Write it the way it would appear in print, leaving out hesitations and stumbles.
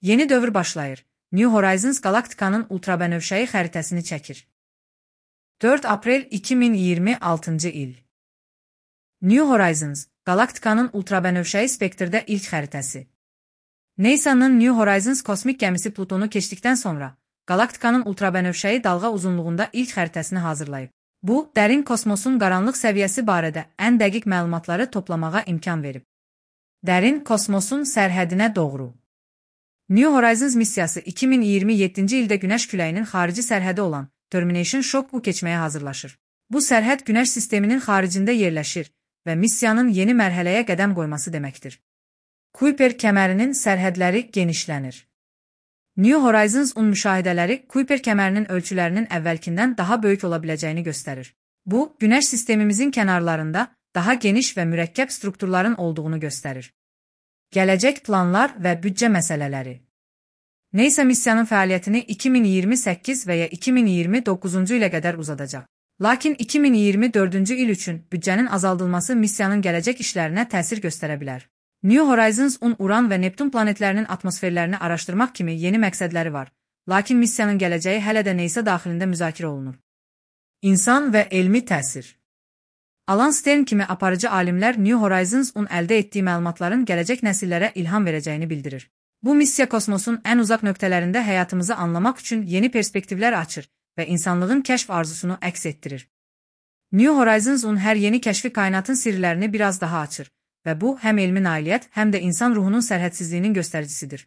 Yeni dövr başlayır. New Horizons qalaktikanın ultrabənövşəyi xəritəsini çəkir. 4 aprel 2026 il. New Horizons, qalaktikanın ultrabənövşəyi spektrdə ilk xəritəsi. NASA'nın New Horizons kosmik gəmisi Plutonu keçdikdən sonra, qalaktikanın ultrabənövşəyi dalğa uzunluğunda ilk xəritəsini hazırlayıb. Bu, dərin kosmosun qaranlıq səviyyəsi barədə ən dəqiq məlumatları toplamağa imkan verib. Dərin kosmosun sərhədinə doğru. New Horizons missiyası 2027-ci ildə Günəş küləyinin xarici sərhədi olan Termination Shock-u keçməyə hazırlaşır. Bu sərhəd Günəş sisteminin xaricində yerləşir və missiyanın yeni mərhələyə qədəm qoyması deməkdir. Kuiper kəmərinin sərhədləri genişlənir. New Horizons-un müşahidələri Kuiper kəmərinin ölçülərinin əvvəlkindən daha böyük ola biləcəyini göstərir. Bu, Günəş sistemimizin kənarlarında daha geniş və mürəkkəb strukturların olduğunu göstərir. Gələcək planlar və büdcə məsələləri. NASA missiyanın fəaliyyətini 2028 və ya 2029-cu ilə qədər uzadacaq. Lakin 2024-cü il üçün büdcənin azaldılması missiyanın gələcək işlərinə təsir göstərə bilər. New Horizons-un Uran və Neptun planetlərinin atmosferlərini araşdırmaq kimi yeni məqsədləri var, lakin missiyanın gələcəyi hələ də NASA daxilində müzakirə olunur. İnsan və elmi təsir. Alan Stern kimi aparıcı alimlər New Horizons-un əldə etdiyi məlumatların gələcək nəsillərə ilham verəcəyini bildirir. Bu missiya kosmosun ən uzaq nöqtələrində həyatımızı anlamaq üçün yeni perspektivlər açır və insanlığın kəşf arzusunu əks etdirir. New Horizons-un hər yeni kəşfi kainatın sirlərini biraz daha açır və bu həm elmi nailiyyət, həm də insan ruhunun sərhədsizliyinin göstəricisidir.